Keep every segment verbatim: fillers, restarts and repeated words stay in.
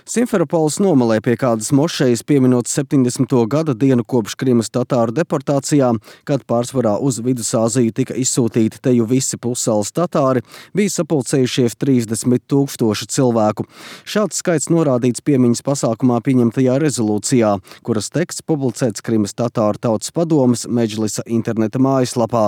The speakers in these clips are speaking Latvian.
Simferopoles nomalē pie kādas mošejas pieminot septiņdesmito gada dienu kopš Krimas tatāru deportācijām, kad pārsvarā uz Vidusāziju tika izsūtīti teju visi pussalas tatāri, bija sapulcējušies trīsdesmit tūkstoši cilvēku. Šāds skaits norādīts piemiņas pasākumā pieņemtajā rezolūcijā, kuras teksts publicēts Krimas tatāru tautas padomes Medžlisa interneta mājaslapā.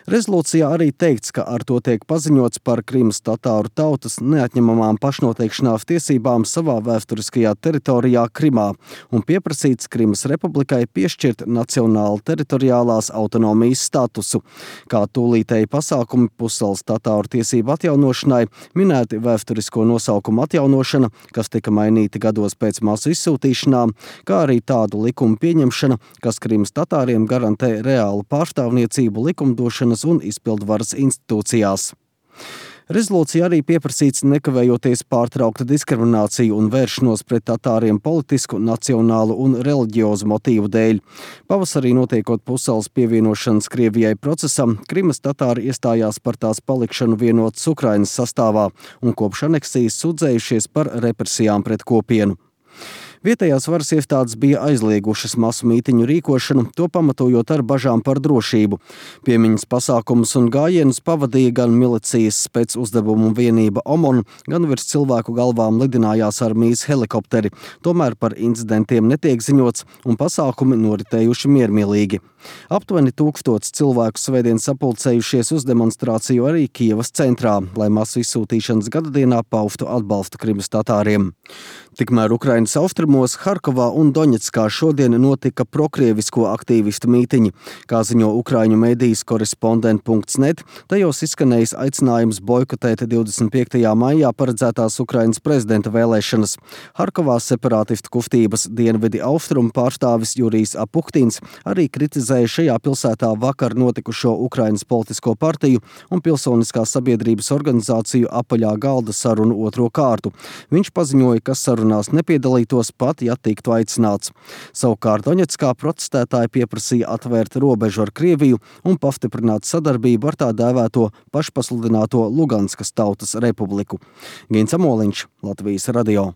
Rezolūcijā arī teikts, ka ar to tiek paziņots par Krimas tatāru tautas neatņemamām pašnoteikšanās tiesībām savā vēsturiskajā teritorijā Krimā un pieprasīts Krimas republikai piešķirt nacionālu teritoriālās autonomijas statusu. Kā tūlītēji pasākumi pussalas tatāru tiesību atjaunošanai minēti vēsturisko nosaukumu atjaunošana, kas tika mainīti gados pēc masu izsūtīšanām, kā arī tādu likumu pieņemšana, kas Krimas tatāriem garantē reālu pārstāvniecību likumdošanas un izpildvaras institūcijās. Rezolūcija arī pieprasīts nekavējoties pārtraukta diskrimināciju un vēršanos pret tatāriem politisku, nacionālu un reliģiozu motīvu dēļ. Pavasarī notiekot pussalas pievienošanas Krievijai procesam, Krimas tatāri iestājās par tās palikšanu vienotas Ukrainas sastāvā un kopš aneksijas sūdzējušies par represijām pret kopienu. Vietējās varas iestādes bija aizliegušas masu mītiņu rīkošanu, to pamatojot ar bažām par drošību. Piemiņas pasākumus un gājienus pavadīja gan milicijas specuzdevumu vienība OMON, gan virs cilvēku galvām lidinājās armijas helikopteri. Tomēr par incidentiem netiek ziņots un pasākumi noritējuši miermīlīgi. Aptuveni tūkstots cilvēku svētdien sapulcējušies uz demonstrāciju arī Kijevas centrā, lai masu izsūtīšanas gadadienā paustu atbalstu Krimas tatāriem. Tikmēr Ukrainas austrumos, Harkovā un Doņetskā šodien notika prokrievisko aktīvistu mītiņi. Kā ziņo ukraiņu medijas korespondent punkts net, tajos izskanējis aicinājums boikotēt divdesmit piektajā maijā paredzētās Ukrainas prezidenta vēlēšanas. Harkovā separātistu kustības dienvidi austrumu pārstāvis Jurijs Apuktins arī kritizēja šajā pilsētā vakar notikušo Ukrainas politisko partiju un pilsoniskās sabiedrības organizāciju apaļā galda sarunu otro kārtu. Viņš paziņoja, ka sarunās nepiedalītos pat, ja tiktu aicināts. Savukārt Doņetskā protestētāji pieprasīja atvērt robežu ar Krieviju un pastiprināt sadarbību ar tā dēvēto pašpasludināto Luganskas tautas republiku. Gins Amoliņš, Latvijas radio.